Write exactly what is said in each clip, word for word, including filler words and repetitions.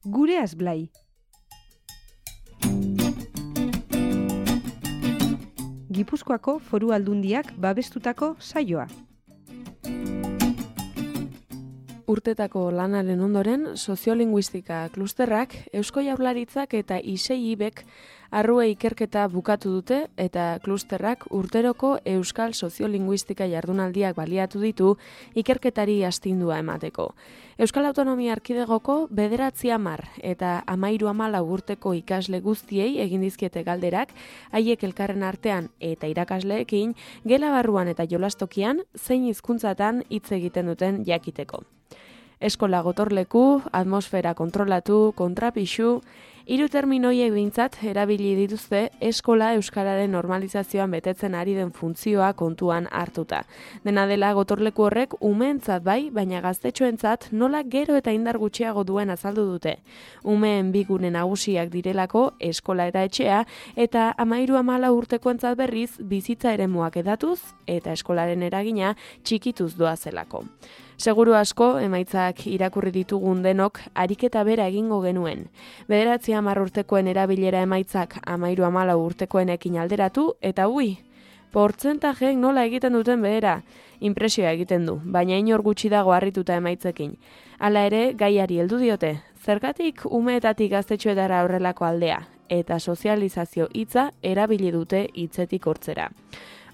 Gureaz Blai. Gipuzkoako Foru Aldundiak babestutako saioa. Urtetako lanaren ondoren, soziolinguistika klusterrak, Eusko Jaurlaritzak eta I S E I B ek arrue ikerketa bukatu dute eta klusterrak urteroko Euskal Soziolinguistika jardunaldiak baliatu ditu ikerketari astindua emateko. Euskal Autonomia Erkidegoko bederatzi hamar eta hamairu hamalau urteko ikasle guztiei egin dizkiete galderak, haiek elkarren artean eta irakasleekin, gela barruan eta jolastokian zein hizkuntzatan hitz egiten duten jakiteko. Eskola gotorleku, atmosfera kontrolatu, kontrapixu, hiru terminoiek behintzat erabili dituzte eskola euskararen normalizazioan betetzen ari den funtzioa kontuan hartuta. Dena dela gotorleku horrek umeentzat bai, baina gaztetxoentzat nola gero eta indar gutxiago duen azaldu dute. Umeen bi gune nagusiak direlako eskola eta etxea, eta hamairu hamalau urtekoentzat berriz bizitza eremuak edatuz eta eskolaren eragina txikituz doazelako. Seguru asko, emaitzak irakurri ditugun denok, ariketa bera egingo genuen. Bederatzi hamar urtekoen erabilera emaitzak hamairu hamalau urtekoenekin alderatu, eta ui, portzentajeek nola egiten duten behera, inpresioa egiten du, baina inor gutxi dago harrituta emaitzekin. Hala ere, gaiari heldu diote, zergatik umeetatik gaztetxoetara horrelako aldea, eta sozializazio hitza erabili dute hitzetik hortzera.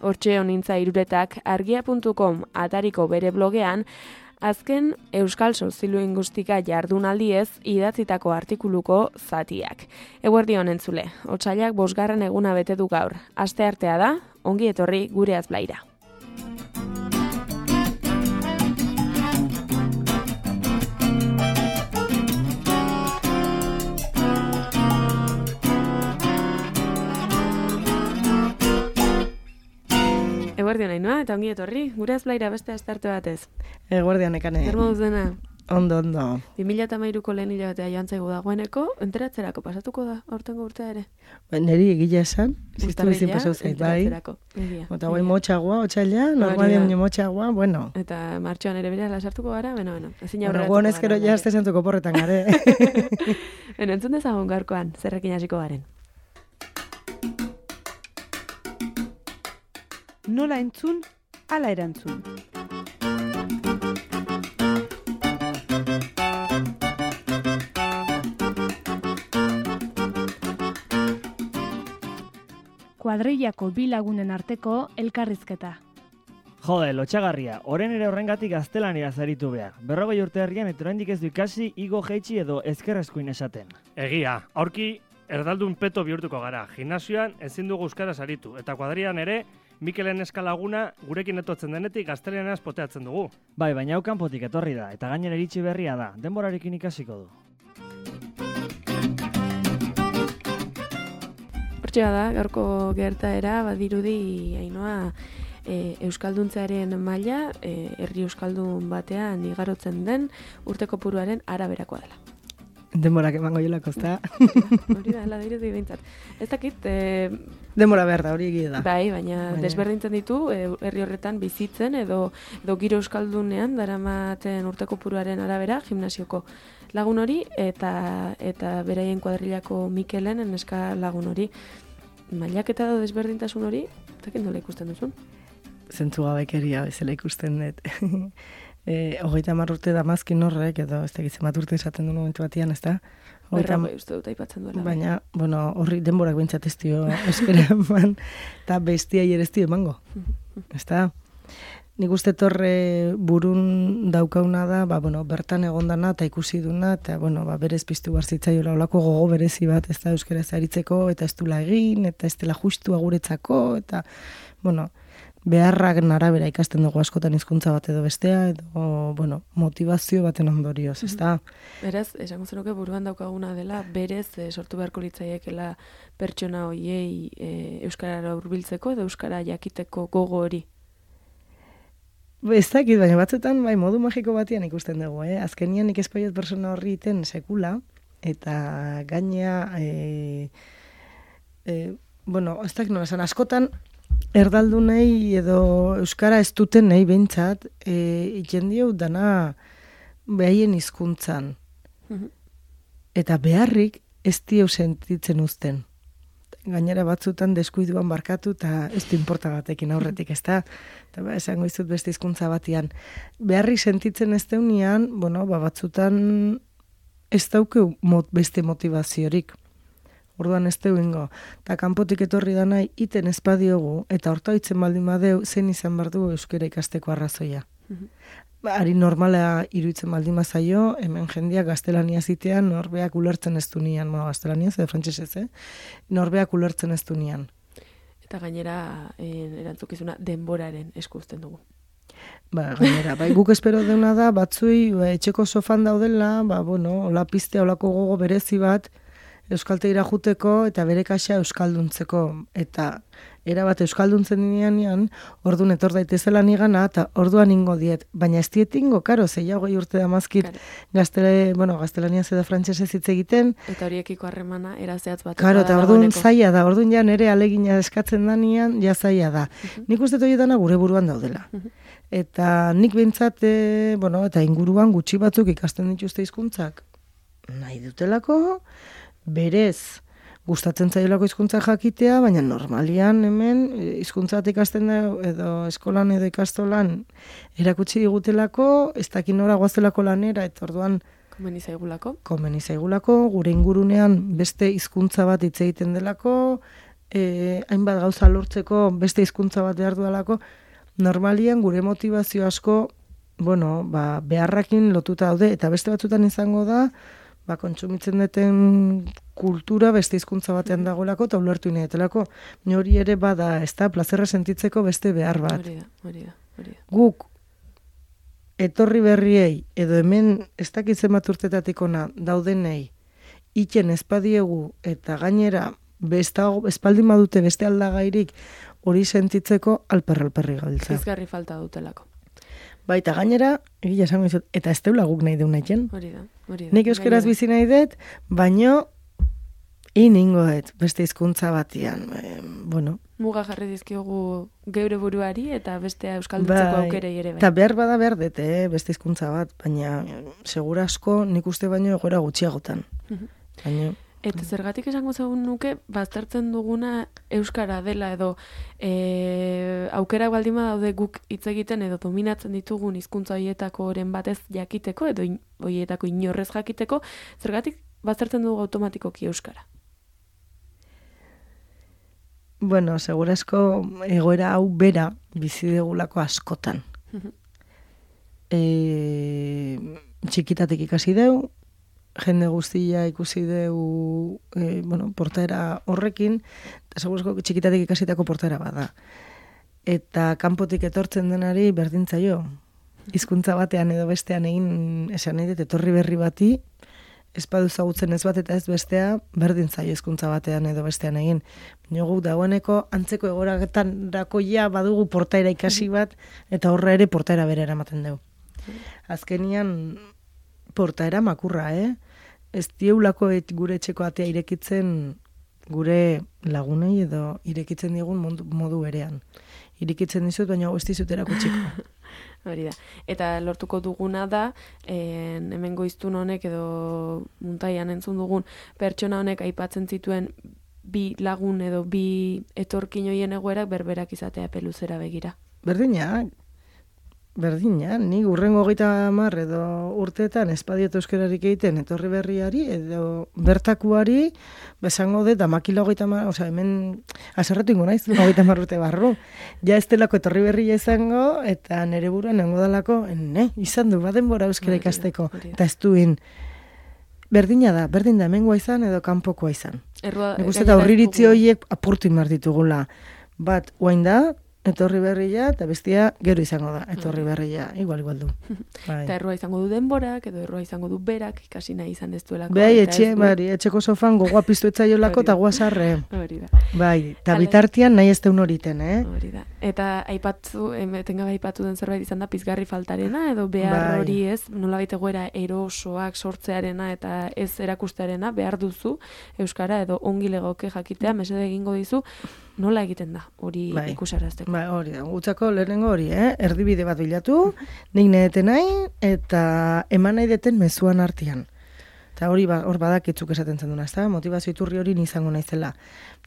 Hortxe honintza iruretak argia puntu com atariko bere blogean, azken Euskal Soziolinguistika jardunaldiez idatzitako artikuluko zatiak. Eguerdion entzule, otsailak bosgarren eguna bete du gaur. Asteartea da, ongi etorri Gureaz Blaira. Eguerdion Ainhoa, eta ongi etorri, Gureaz Blaira beste astearte batez. Eguerdion Ekane. Zer moduz dena? Ondo, ondo. bi mila hamairuko lehen hilabetea joan zaigu dagoeneko, enteratzerako pasatuko da, aurtengo urtea ere. Ba, neri egila esan, ziztu bizin pasau zait, bai. Eta guai motxagoa, otxaila, normalian motxagoa, bueno. Eta martxoan ere bera lasartuko gara, beno, beno. Ezin aurreratuko gara. Honezkero jazte zentuko porretan gare. Beno, entzun dezagun gaurkoan, zerrekin hasiko garen. Nola entzun, ala erantzun. Kuadrillako bi lagunen arteko elkarrizketa. Jode, lotxagarria, oren ere horrengatik gaztelania zaritu behar. Berrogei urte herrian eta oraindik ez du ikasi, igo jeitsi edo ezkerrezkuin esaten. Egia, aurki erdaldun peto bihurtuko gara. Gimnasioan ezin dugu euskara zaritu, eta kuadrian ere Mikelen eskalaguna gurekin etotzen denetik gazteleanaz poteatzen dugu. Bai, baina hau kanpotik etorri da, eta gainera iritsi berria da, denborarekin ikasiko du. Hortxea da, gaurko gertaera, badirudi, Ainhoa, e, euskalduntzearen maila, e, herri euskaldun batean igarotzen den urteko puruaren araberakoa dela. Denborak emango jolako, ezta? Hori da, hela dirudi behintzat. Ez dakit... E, Denbora behar da, hori egia da. Bai, baina, baina desberdintzen ditu, e, herri horretan bizitzen edo, edo giro euskaldunean daramaten urteko puruaren arabera, gimnasioko lagun hori, eta eta beraien kuadrilako Mikelen neska lagun hori. Mailaketa edo desberdintasun hori, eta nola ikusten duzun? Zentzu gabekeria bezala ikusten dut. E, hogeita hamar urte damazkin horrek, edo ez tegitzen bat urte esaten du momentu batian, ez da? Berrogei uste dut aipatzen duela. Baina, bueno, horri denborak bintzat ez dio espera eman, eta bestia ere ez dio emango, ez da? Nik uste torre burun daukauna da, ba, bueno, bertan egondana eta ikusi duna, eta, bueno, ba, berez piztu barzitzaiola olako gogo berezi bat, ez da, euskaraz aritzeko, eta ez dula egin, eta ez dela justu aguretzako, eta, bueno, beharrak arabera ikasten dugu askotan hizkuntza bat edo bestea, edo, bueno, motivazio baten ondorioz, ez da? Beraz, esango zenuke buruan daukaguna dela, berez e, sortu beharko litzaiekela pertsona hoiei e, euskarara hurbiltzeko edo euskara jakiteko gogo hori. Ez dakit, baina batzutan bai modu magiko batian ikusten dugu, eh? Azkenian nik espaiot persona horri iten sekula, eta gainea, e, e, bueno, ez dakit nola esan, askotan, erdaldunei edo euskara ez duten nahi behintzat, e, jendio dana behaien hizkuntzan. eta beharrik ez dieu sentitzen uzten. Gainera batzutan deskuiduan barkatu eta ez du inporta batekin aurretik, ez da? Eta ba, esango izut beste hizkuntza batian. Beharrik sentitzen ez deunean, bueno, ba, batzutan ez dauke mot, beste motivaziorik. Orduan ez deu ingo. Eta kanpotik etorri da nahi, iten espadiogu, eta horta hitzen baldin badeu, zen izan behar du euskera ikasteko arrazoia. Ba, ari normala iruditzen baldin bazaio, hemen jendeak gaztelania zitean norbeak ulertzen ez du nian, bueno, gaztelania edo frantsesez, eh? Norbeak ulertzen ez du nian. Eta gainera eh, erantzukizuna denboraren esku uzten dugu. Ba, gainera, bai, guk espero deuna da, batzui, ba, etxeko sofan daudela, ba, bueno, hola piztea, holako gogo berezi bat, euskaltegira juteko eta bere kaxa euskalduntzeko. Eta erabat euskalduntzen dinean, orduan etor daitezela nigana, eta orduan ingo diet. Baina ez diet ingo, karo, zeia hogei urte da mazkit, gaztele, bueno, gaztelaniaz edo frantsesez hitz egiten. Eta horiekiko harremana erazeatz bat. Karo, eta orduan zaila da, orduan ja nere alegina eskatzen danian, ja zaila da. Uh-huh. Nik uste horietana gure buruan daudela. Uh-huh. Eta nik behintzat, e, bueno, eta inguruan gutxi batzuk ikasten dituzte hizkuntzak nahi dutelako, berez, gustatzen zailako hizkuntza jakitea, baina normalian hemen hizkuntza bat ikasten da edo eskolan edo ikastolan erakutsi digutelako, ez dakin nora goazelako lanera, eta orduan komeni zaigulako. Komeni zaigulako, gure ingurunean beste hizkuntza bat hitz egiten delako, eh, hainbat gauza lortzeko beste hizkuntza bat behar duelako, normalian gure motivazio asko, bueno, ba, beharrakin lotuta daude, eta beste batzutan izango da, ba, kontsumitzen duten kultura beste hizkuntza batean dagoelako eta ulertu inetelako. Hori ere bada, ez da, plazerra sentitzeko beste behar bat. Hori da, hori da, hori da. Guk, etorri berriei, edo hemen ez dakit zenbat urtetatik ona daudenei, iten espadiegu eta gainera bestago, espaldin badute beste aldagairik hori sentitzeko alperralperri gabiltza. Pizgarri falta dutelako. Baita gainera, egia esango izut, eta ez deula guk nahi deun nahiken. Hori da, hori da. Nik euskeraz bizi nahi dut, baino iningo dut, beste hizkuntza batian. E, bueno. Muga jarri dizkiogu geure buruari eta bestea euskalduntzeko bai, aukerei ere bai. Eta behar bada behar dut, eh, beste hizkuntza bat, baina segura asko nik uste baino egoera gutxiagotan. Uh-huh. Baina... Eta zergatik esango zegoen nuke, baztertzen duguna euskara dela edo e, aukera baldin badaude guk hitz egiten edo dominatzen ditugun hizkuntza horietako oren batez jakiteko edo in, horietako inorrez jakiteko, zergatik baztertzen dugu automatikoki euskara? Bueno, segurazko egoera hau bera bizi degulako askotan. Uh-huh. E, txikitatik ikasi deu, jende guztia ikusi deu e, bueno, portaera horrekin, eta segurezko txikitatik ikasitako portaera bada. Eta kanpotik etortzen denari berdintzaio. Hizkuntza batean edo bestean egin esan nahi dut etorri berri bati, ez badu zagutzen ez bat eta ez bestea, berdintzaio hizkuntza batean edo bestean egin. Baina gu dagoeneko antzeko egoraketan dakoia badugu portaera ikasi bat, eta horra ere portaera bere eramaten dugu. Azkenian portaera makurra, eh? Ez dieulako et, gure etxeko atea irekitzen gure lagunei edo irekitzen digun modu, modu berean. Irekitzen dizut, baina ez dizut erakutsiko. Hori da. Eta lortuko duguna da, en, hemen goiztun honek edo muntaian entzun dugun pertsona honek aipatzen zituen bi lagun edo bi etorkin hoien egoerak berberak izatea peluzera begira. Berdina, Berdina, ni urrengo hogeita hamar edo urteetan espadiot euskararik egiten etorri berriari edo bertakuari besango dut amakila hogeita hamar, osea hemen aserretu ingo naiz, hogeita hamar urte barru. Ja ez delako etorri berria izango eta nere buruan nengo dalako, ne, izan du, badenbora euskara ikasteko. Eta ez duin, berdina da, berdin da, hemengoa izan edo kanpokoa izan. Nik uste eta horriritzi horiek apurtu inbar ditugula. Bat, uain da, etorri berria, eta bestia gero izango da, etorri berria, igual, igual du. Bai. Eta errua izango du denborak, edo errua izango du berak, ikasi nahi izan ez duelako. Bai, etxe, bari, etxeko sofan gogoa piztu etzaiolako eta guazarre. Hori da. Bai, eta bitartian nahi ez deun horiten, eh? Hori da. Eta aipatzu, etengabe aipatu den zerbait izan da pizgarri faltarena, edo behar hori ez, nolabait egoera erosoak sortzearena eta ez erakustearena, behar duzu, euskara edo ongi legoke jakitea, mesede egingo dizu, nola egiten da, hori bai. Ikusarazteko. Bai, hori da, gutzako lehenengo hori, eh? Erdibide bat bilatu, nik naheten nahi, eta eman nahi deten mezuan artean. Eta hori ba, hor badakitzuk esaten zen duna, ezta? Motivazio iturri hori ni izango naizela.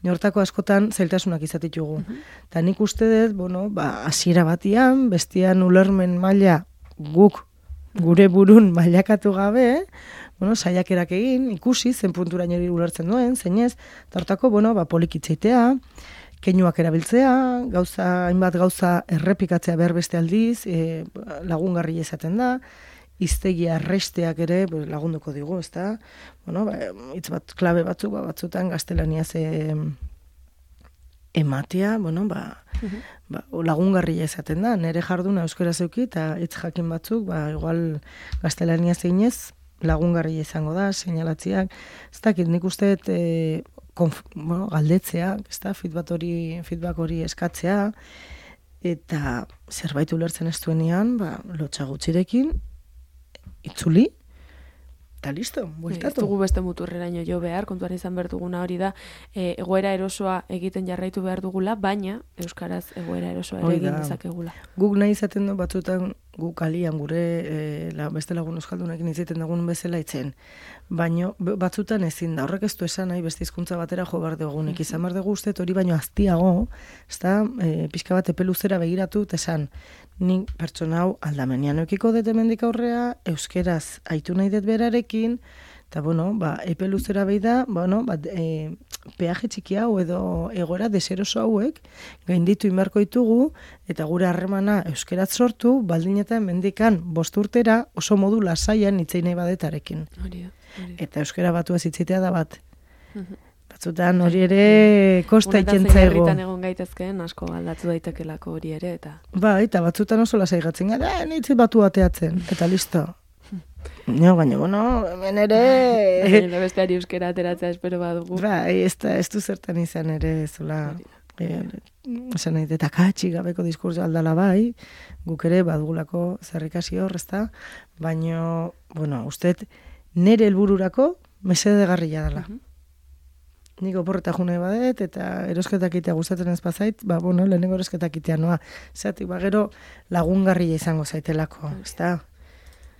Hortako askotan zailtasunak izatitugu. Eta nik uste dut, bueno, ba, hasiera batian, bestian ulermen maila guk gure burun mailakatu gabe, bueno, saiakerak egin, ikusi, zen punturaino hori ulertzen duen, zeinez, eta hortako, bueno, ba, polikitzeitea, keinuak erabiltzea, gauza, hainbat gauza errepikatzea behar beste aldiz, e, lagungarri izaten da, hiztegia erresteak ere lagunduko digu, ezta? Bueno, ba, hitz bat klabe batzuk, ba, batzutan gaztelaniaz e, ematea, bueno, ba, uh-huh. ba, lagungarria izaten da, nire jarduna euskara zeuki, eta hitz jakin batzuk, ba, igual gaztelaniaz einez, lagungarria izango da, seinalatziak, ez dakit, nik uste e, konf, bueno, galdetzea, ez da, feedback hori, feedback hori eskatzea, eta zerbait ulertzen ez duenean, ba, lotxa gutxirekin, itzuli, eta listo, bueltatu. Ez dugu beste muturreraino jo behar, kontuan izan behar duguna hori da, e, egoera erosoa egiten jarraitu behar dugula, baina euskaraz egoera erosoa ere egin dezakegula. Guk nahi izaten du batzutan guk alian gure e, la, beste lagun euskaldunekin izaten dugun bezala itzen. Baina batzutan ezin da, horrek ez du esan nahi beste hizkuntza batera jo behar dugunik. Izan behar dugu uste hori baino aztiago, ezta, e, pixka bat epe luzera begiratu, esan, nik pertsona hau aldamenean eukiko dut hemendik aurrea, euskeraz aitu nahi dut berarekin, eta, bueno, ba, epe luzera behi da, bueno, ba, e, peaje txiki hau edo egora deseroso hauek, gainditu inbarko ditugu, eta gure harremana euskeraz sortu, baldin eta hemendikan bost urtera oso modu lasaian itzei nahi badetarekin. Hori da, hori da. Eta euskera batu ez itzitea da bat. Batzutan hori ere kosta ikentzego. Unetaz herritan egon gaitezkeen asko aldatu daitekelako hori ere, eta... Ba, eta batzutan oso lasai gatzen gara, eh, nitzi batu ateatzen, eta listo. No, baina, bueno, hemen ere... Baina besteari euskera ateratzea espero badugu. Ba, ez, da, ez du zertan izan ere, zula... Esan nahi, eta katxik gabeko diskurso aldala bai, guk ere badugulako zerrikasi hor, ezta? Baina, bueno, usteet, nere helbururako mesedegarria dela. Uh-huh. Nik oporreta june badet, eta erosketak itea gustatzen ez bazait, ba, bueno, lehenengo erosketak itea noa. Zatik, ba, gero lagungarria izango zaitelako, ezta?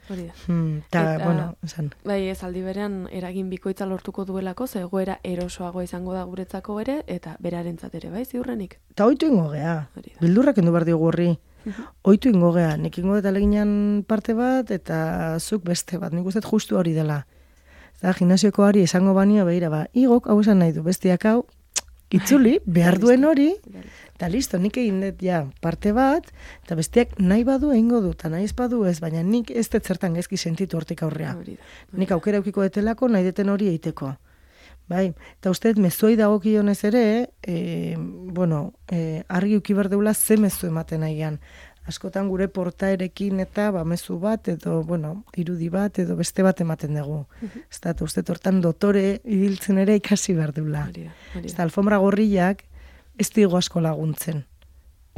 Hori da. Hmm, ta, eta, bueno, esan. Bai, ez aldi berean eragin bikoitza lortuko duelako, ze egoera erosoago izango da guretzako ere, eta berarentzat ere, bai, ziurrenik? Ta oitu ingo gea, bildurrak endu behar diogu horri. Oitu ingo gea, nik ingo eta leginan parte bat, eta zuk beste bat, nik uste justu hori dela. Eta gimnasioko ari esango banio behira, ba, igok hau esan nahi du, bestiak hau, itzuli, behar duen hori, eta listo, nik egin dut ja parte bat, eta bestiak nahi badu egingo du, eta nahi ez badu ez, baina nik ez dut zertan gezki sentitu hortik aurrea. Nik aukera eukiko detelako nahi deten hori eiteko. Bai, eta uste mezuei dagokionez ere, e, bueno, e, argi uki behar deula ze mezu ematen nahian. Askotan gure portaerekin eta ba, mezu bat, edo, bueno, irudi bat, edo beste bat ematen dugu. Uh-huh. Ez da, uste tortan dotore ibiltzen ere ikasi behar deula. Ez da, alfombra gorriak ez digo asko laguntzen.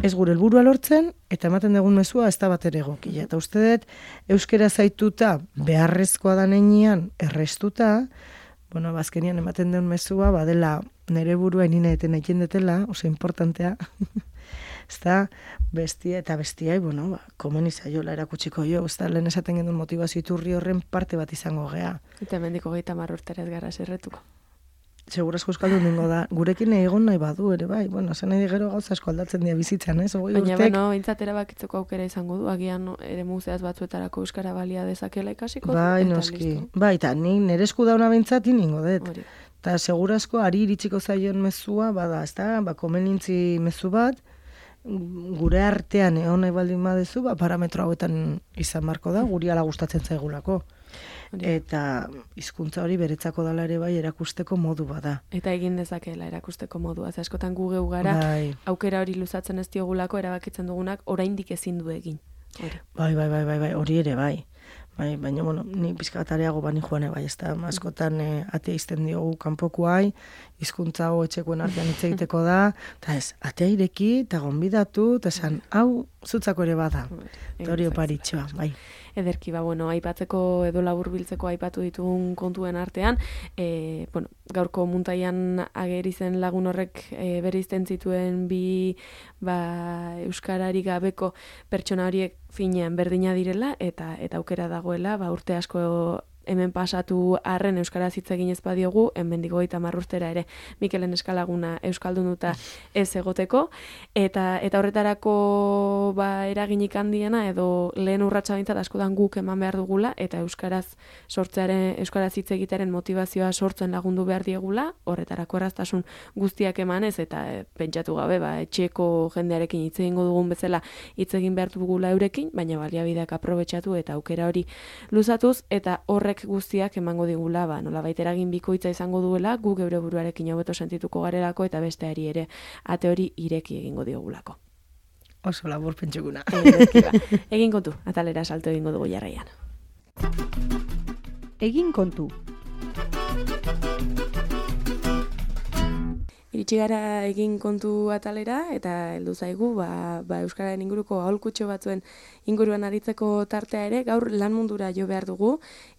Ez gure helburua lortzen, eta ematen dugun mezua ez da bat ere egokia. Eta uste dut, euskera zaituta, beharrezkoa da neinian, errestuta, bueno, bazkenian ematen duen mezua, badela nire burua inina eten egin detela, oso importantea, ez da, bestia eta bestiai, bueno, ba, komen izaiola erakutsiko jo, ez da, lehen esaten gendun motivazio iturri horren parte bat izango gea. Eta mendiko gehieta marrurterez gara zerretuko. Segurazko euskaldun dingo da, gurekin egon nahi badu ere, bai, bueno, zen nahi gero gauza asko aldatzen dira bizitzan, ez? Ogoi baina, urtek... bueno, bintzatera bakitzeko aukera izango du, agian ere muzeaz batzuetarako euskara balia dezakela ikasiko. Bai, noski, bai, eta ni nire esku dauna bintzat iningo dut. Eta segurazko ari iritsiko zaion mezua, bada, ez da, ba, komenintzi mezu bat, gure artean egon nahi baldin badezu, ba, parametro hauetan izan marko da, guri ala gustatzen zaigulako. Eta hizkuntza hori beretzako dala ere bai erakusteko modu bada. Eta egin dezakela erakusteko modua. Ze askotan gu geu gara, bai. Aukera hori luzatzen ez diogulako, erabakitzen dugunak oraindik ezin du egin. Hori. Bai, bai, bai, bai, bai, hori ere bai. Bai, baina, bueno, ni pizka bat areago bani joan bai, ez da, askotan eh, atea izten diogu kanpokoai, hizkuntza hau etxekoen artean hitz egiteko da, eta ez, atea ireki, eta gonbidatu, eta esan, hau zutzako ere bada. Eta hori oparitxoa, bai. Ederki, ba, bueno, aipatzeko edo laburbiltzeko aipatu ditugun kontuen artean, e, bueno, gaurko muntaian ageri zen lagun horrek e, bereizten zituen bi ba, euskarari gabeko pertsona horiek finean berdina direla, eta eta aukera dagoela, ba, urte asko hemen pasatu arren euskaraz hitz egin ez badiogu, hemendik hogeita hamar urtera ere Mikelen Eskalaguna euskaldunuta ez egoteko, eta eta horretarako ba eraginik handiena edo lehen urratsa behintzat askotan guk eman behar dugula, eta euskaraz sortzearen euskaraz hitz egitearen motivazioa sortzen lagundu behar diegula, horretarako erraztasun guztiak emanez, eta e, pentsatu gabe ba etxeko jendearekin hitz egingo dugun bezala hitz egin behar dugula eurekin, baina baliabideak aprobetxatu eta aukera hori luzatuz, eta horrek guztiak emango digula, ba, nolabait eragin bikoitza izango duela, gu geure buruarekin hobeto sentituko garelako, eta besteari ere ate hori ireki egingo digulako. Oso labur pentsuguna. Egin kontu, atalera salto egingo dugu jarraian. Egin kontu. Iritsi gara egin kontu atalera, eta heldu zaigu ba, ba euskararen inguruko aholkutxo batzuen inguruan aritzeko tartea ere, gaur lan mundura jo behar dugu,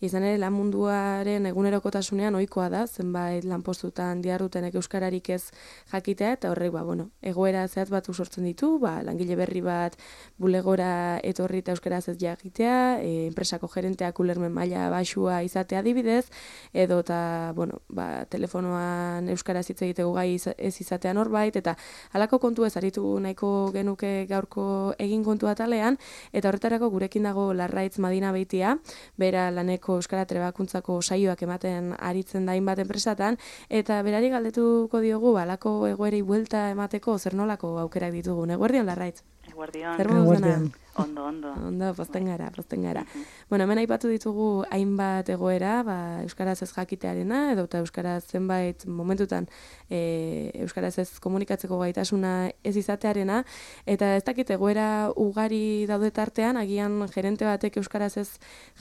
izan ere lan munduaren egunerokotasunean ohikoa da, zenbait lanpostutan dihardutenek euskararik ez jakitea, eta horrek ba, bueno, egoera zehatz batu sortzen ditu, ba, langile berri bat bulegora etorri eta euskaraz ez jakitea, e, enpresako gerenteak ulermen maila baxua izatea adibidez, edo eta, bueno, ba, telefonoan euskaraz hitz egiteko gai ez izatean horbait, eta halako kontu ez aritu nahiko genuke gaurko egin kontu atalean, eta horretarako gurekin dago Larraitz Madina Beitia, bera laneko euskara trebakuntzako saioak ematen aritzen da hainbat enpresatan, eta berari galdetuko diogu halako egoerei buelta emateko zer nolako aukerak ditugun. Eguerdion, Larraitz? Eguerdion. Zer moduz dena? Ondo, ondo. Ondo, pozten gara, pozten gara. Bueno, hemen aipatu ditugu hainbat egoera, ba, euskaraz ez jakitearena, edo eta euskaraz zenbait momentutan e, euskaraz ez komunikatzeko gaitasuna ez izatearena, eta ez dakit egoera ugari daude tartean, agian gerente batek euskaraz ez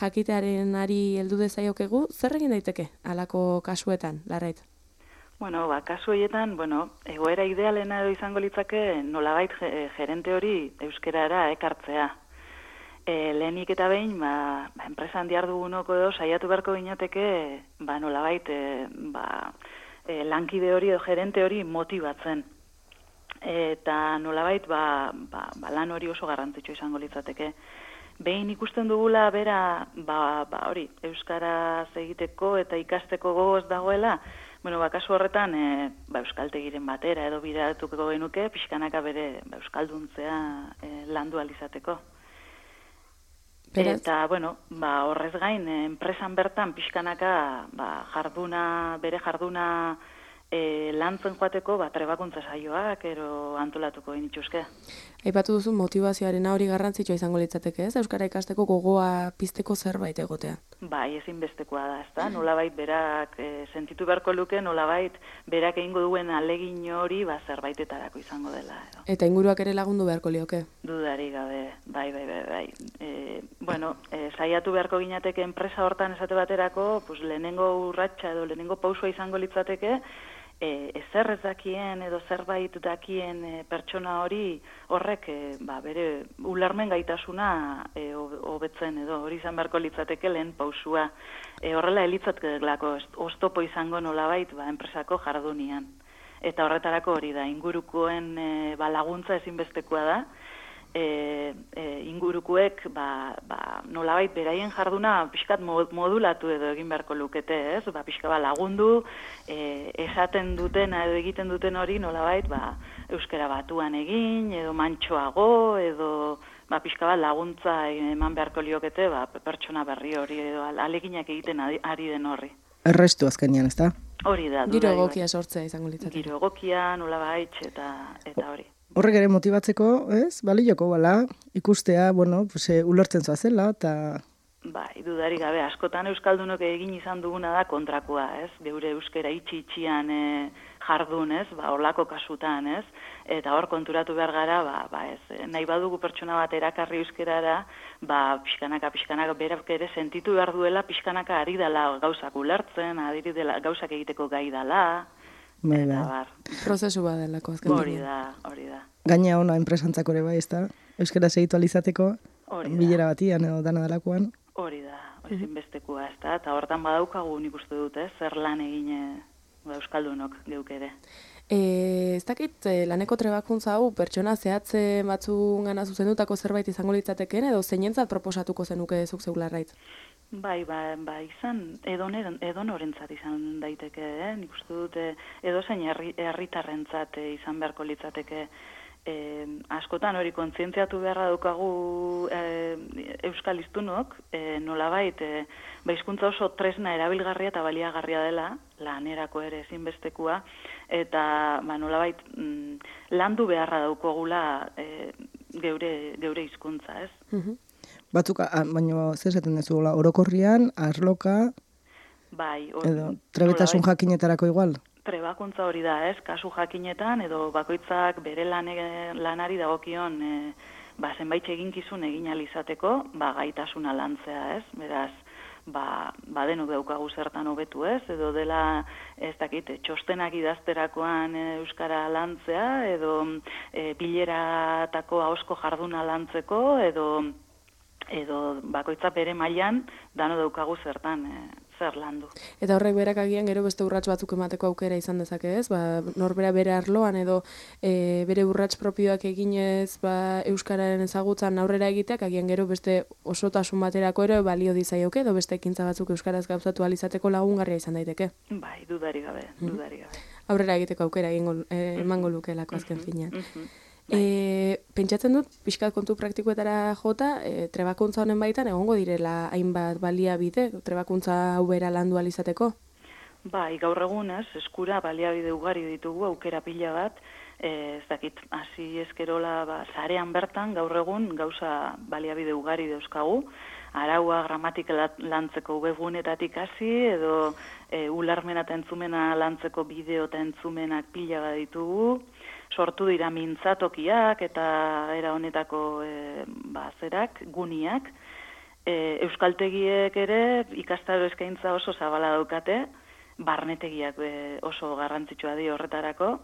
jakitearenari heldu dezaiokegu, zer egin daiteke halako kasuetan, Larraitz? Bueno, ba, kasu horietan, bueno, egoera idealena edo izango litzake nolabait gerente hori euskerara ekartzea. E, lehenik eta behin, ba, enpresan dihardugunoko edo saiatu beharko ginateke, ba, nolabait e, ba, e, lankide hori edo gerente hori motibatzen. Eta nolabait, ba, ba, ba, lan hori oso garrantzitsua izango litzateke. Behin ikusten dugula bera, ba, ba, hori, euskaraz egiteko eta ikasteko gogoz dagoela, bueno, ba, kasu horretan, e, ba, euskaltegiren batera edo bidatuko genuke, pixkanaka bere ba, euskalduntzea e, landu alizateko. Beraz? Eta, bueno, ba, horrez gain, e, enpresan bertan pixkanaka ba, jarduna, bere jarduna e, lantzen joateko, ba, trebakuntza saioak, ero antolatuko genituzke. Aipatu duzu motivazioaren hori garrantzitsua izango litzateke, ez? Euskara ikasteko gogoa pizteko zerbait egotea. Bai, ezinbestekoa da, ezta? Nolabait berak e, sentitu beharko luke, nolabait berak egingo duen alegin hori ba zerbaitetarako izango dela. Edo. Eta inguruak ere lagundu beharko lioke? Dudari gabe, bai, bai, bai, bai. E, bueno, e, saiatu beharko ginateke enpresa hortan esate baterako, pues, lehenengo urratsa edo lehenengo pausua izango litzateke, E, ezer ez dakien edo zerbait dakien e, pertsona hori horrek e, ba, bere ulermen gaitasuna e, hobetzen edo hori izan beharko litzateke lehen pausua. E, horrela elitzatekelako oztopo izango nolabait ba, enpresako jardunian. Eta horretarako hori da, ingurukoen e, ba, laguntza ezinbestekoa da, E, e, ingurukuek ba, ba, nolabait beraien jarduna pixkat modulatu edo egin beharko lukete, ez? Ba, pixka ba, lagundu, e, esaten duten edo egiten duten hori nolabait ba, euskara batuan egin, edo mantxoago, edo ba, pixka bat laguntza eman beharko liokete ba, pertsona berri hori edo aleginak egiten ari den horri. Errestu azkenean, ez da? Hori da. Giro egokia sortzea izango litzateke. Giro egokia, nolabait, eta, eta hori. Horrek ere motibatzeko, ez? Balioko, bala, ikustea, bueno, pues, e, ulertzen zoazela, eta... Bai, dudari gabe, askotan euskaldunok egin izan duguna da kontrakoa, ez? Geure euskera itxi-itxian e, jardun, ez? Ba, horlako kasutan, ez? Eta hor konturatu behar gara, ba, ba ez, nahi badugu pertsona bat erakarri euskerara, ba, pixkanaka, pixkanaka, berak ere sentitu behar duela, pixkanaka ari dela gauzak ulertzen, ari dela gauzak egiteko gai dela, Bai, bai. Prozesu bat delako azken. Hori da, hori da. Gaina ona enpresantzako ere bai, ez da? Euskara segitu alizateko, bilera batian edo dana dalakoan. Hori da, ezinbestekoa, ez da? Eta hortan badaukagu nik uste dute, zer lan egine ba, euskaldunok geuk ere. E, ez dakit, e, laneko trebakuntza hau pertsona zehatze batzun gana zuzendutako zerbait izango litzateken, edo zeinentzat proposatuko zenuke zuk zeu Larraitz? Bai, ba, ba izan, edonorentzat izan daiteke, eh? Nik uste dut, edozein herritarrentzat izan beharko litzateke. E, askotan hori kontzientziatu beharra daukagu e, euskal hiztunok, e, nolabait, e, ba, hizkuntza oso tresna erabilgarria eta baliagarria dela, lanerako ere ezinbestekua, eta ba, nolabait mm, landu beharra daukagula e, geure, geure hizkuntza, ez? Mhm. Batzuk, baina zer esaten dezuela, orokorrian, arloka, bai, or, edo trebetasun jakinetarako igual? Trebakuntza hori da, ez? Kasu jakinetan, edo bakoitzak bere lane, lanari dagokion e, ba, zenbait eginkizun egin alizateko, ba, gaitasuna lantzea, ez? Beraz, ba, ba denok daukagu zertan hobetu, ez? Edo dela, ez dakit, txostenak idazterakoan e, euskara lantzea, edo e, bileratako ahozko jarduna lantzeko, edo edo bakoitza bere mailan dano daukagu zertan e, zer landu. Eta horrek berak agian gero beste urrats batzuk emateko aukera izan dezake, ez? Ba, norbera bere arloan edo e, bere urrats propioak eginez ba, euskararen ezagutzan aurrera egiteak agian gero beste osotasun baterako ere balio dizaioke edo beste ekintza batzuk euskaraz gauzatu ahal izateko lagungarria izan daiteke. Bai, dudari gabe, dudari gabe. Aurrera egiteko aukera egingo e, emango lukeelako azken finean. E, pentsatzen dut, pixkat kontu praktikoetara jota, e, trebakuntza honen baitan egongo direla hainbat baliabide, trebakuntza hau bera landu ahal izateko? Bai, gaur egun ez, eskura baliabide ugari ditugu, aukera pila bat, e, ez dakit, hasi eskerola, ba, zarean bertan, gaur egun gauza baliabide ugari dauzkagu, araua gramatika lantzeko webgunetatik hasi, edo e, ularmena eta entzumena lantzeko bideo eta entzumenak pila bat ditugu, sortu dira mintzatokiak eta era honetako e, bazerak, guniak. E, euskaltegiek ere ikastaro eskaintza oso zabala daukate, barnetegiak e, oso garrantzitsua di horretarako.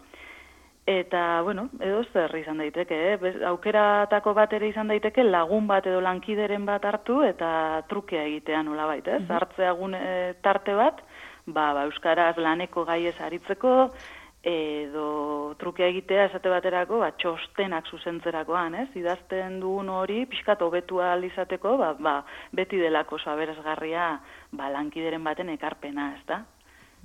Eta, bueno, edo zer izan daiteke, eh? Aukeratako bat ere izan daiteke lagun bat edo lankideren bat hartu eta trukea egitea nolabait, ez? Mm-hmm. Hartzea gune tarte bat, ba, ba, euskaraz laneko gaiez aritzeko, edo trukea egitea esate baterako, ba, txostenak zuzentzerakoan, ez? Idazten dugun hori pixkat hobetu ahal izateko, ba, ba, beti delako oso aberasgarria ba, lankideren baten ekarpena, ez da?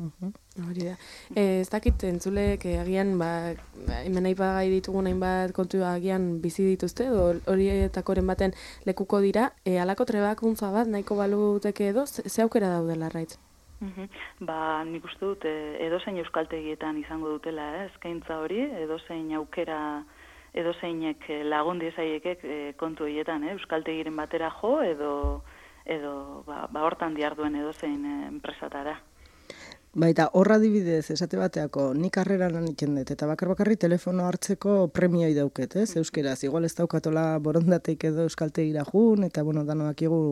Hori da. Eh, ez dakit entzulek eh, agian ba, hemen aipagai ditugun hainbat kontu agian bizi dituzte, edo horietakoren baten lekuko dira, eh, halako trebakuntza bat nahiko baluteke edo, ze, ze aukera daudela raitz? Uhum. Ba, nik uste dut, edozein euskaltegietan izango dutela, eh, eskaintza hori, edozein aukera, edozeinek lagun diezaiekek eh, kontu horietan, eh, euskaltegiren batera jo, edo, edo ba, ba hortan diarduen edozein eh, enpresatara. Baita, horra adibidez, esate bateako, nik karrera lan iten dut, eta bakar bakarri telefono hartzeko premioi dauket, ez, euskeraz, igual ez daukatola borondateik edo euskaltegira jun, eta, bueno, danoak igu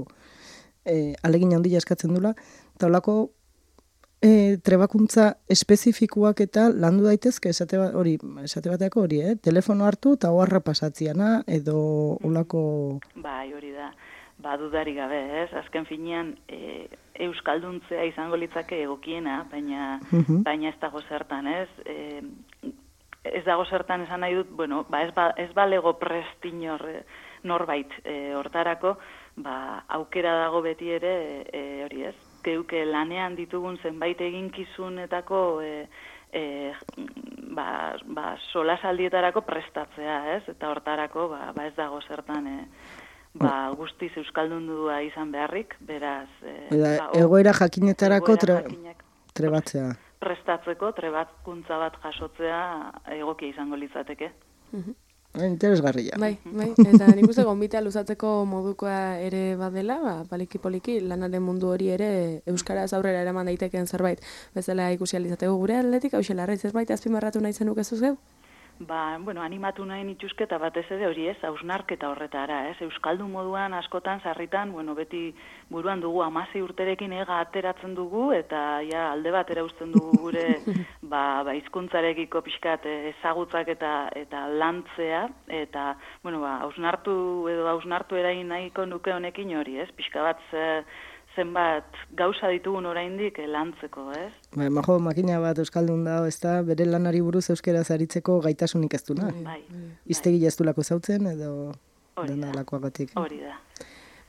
eh, alegin handia eskatzen dula, eta holako E, trebakuntza espezifikuak eta landu daitezke esate bat, hori, esate bateako hori, eh? Telefono hartu eta oharra pasatziana edo olako... Bai, hori da, ba, dudari gabe, ez? Azken finean, e, euskalduntzea izango litzake egokiena, baina, uh-huh. baina ez dago zertan, ez? E, ez dago zertan esan nahi dut, bueno, ba, ez, ba, ez balego prestinor norbait e, hortarako, ba, aukera dago beti ere, e, hori ez? Geuke lanean ditugun zenbait eginkizunetako e, e, ba, ba, solasaldietarako prestatzea, ez? Eta hortarako ba, ba ez dago zertan e, ba, guztiz euskaldundua izan beharrik, beraz... E, Eda, ba, egoera jakinetarako egoera tre, trebatzea. Prestatzeko, trebatkuntza bat jasotzea egokia izango litzateke. Mhm. Interesgarria. Bai, bai, eta nik uste gonbitea luzatzeko modukoa ere badela, ba, paliki-poliki lanaren mundu hori ere euskaraz aurrera eraman daitekeen zerbait. Bezala ikusi alizateko gure atletik, hau xelarra, zerbait azpimarratu nahi zenuk ez zuzeu? Ba, bueno, animatu nahi nituzketa batez ere hori ez, hausnarketa horretara, ez, euskaldun moduan askotan sarritan, bueno, beti buruan dugu hamasei urterekin ega ateratzen dugu, eta ja alde batera uzten dugu gure ba, ba hizkuntzarekiko pixkat ezagutzak eta eta lantzea, eta, bueno, ba, hausnartu edo hausnartu erain nahiko nuke honekin hori, ez, pixka bat ze, zenbat gauza ditugun oraindik lantzeko, ez? Ba, majo, makina bat euskaldun da, ez da, bere lanari buruz euskaraz aritzeko gaitasunik ez duna. Bai. Iztegi jaztulako zautzen, edo hori dena da. lakoagatik. Hori da.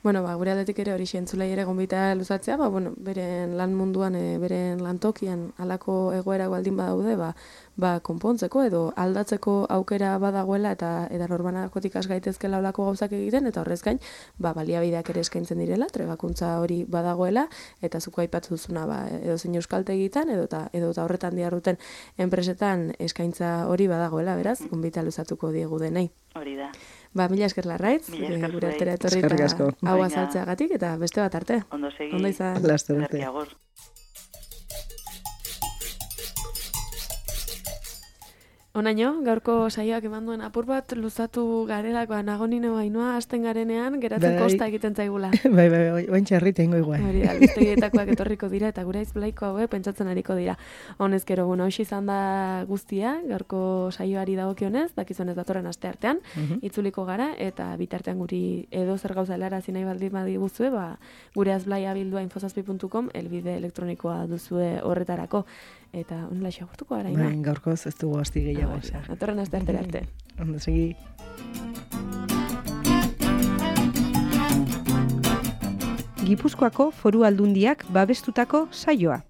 Bueno, ba, gure aldetik ere hori entzulei ere gonbita luzatzea, ba, bueno, beren lan munduan, e, beren lantokian halako egoera baldin badaude, ba, ba, konpontzeko edo aldatzeko aukera badagoela eta eta norbanakotik has gaitezkela holako gauzak egiten eta horrez gain, ba, baliabideak ere eskaintzen direla, trebakuntza hori badagoela eta zuk aipatu duzuna, ba, edo zein euskaltegitan edo ta edo ta horretan diharduten enpresetan eskaintza hori badagoela, beraz, gonbita luzatuko diegu denei. Hori da. Ba, mila esker Larraitz, gure altera etorri eta hau azaltzeagatik eta beste bat arte. Ondo segi. Ondo izan. Laster arte. Onaino, gaurko saioak eman duen apur bat luzatu garelakoa nagonino bainoa hasten garenean geratzen Bai. kosta egiten zaigula. Bai, bai, bai, oin txarrita ingo igual. Hori da, albistegietakoak etorriko dira eta gure aizblaiko hauek pentsatzen ariko dira. Honezkero, bueno, hoxe izan da guztia, gaurko saioari dagokionez, dakizunez datorren aste artean, Mhm. itzuliko gara eta bitartean guri edo zer gauza helarazi nahi baldin badiguzue, ba gure azblaia bildua infozazpi puntu com elbide elektronikoa duzue horretarako eta honela xagurtuko gara ina. Bai, gaurkoz ez dugu asti gehiago. osea. Datorren aste artera arte. Ondo segi. Gipuzkoako Foru Aldundiak babestutako saioa.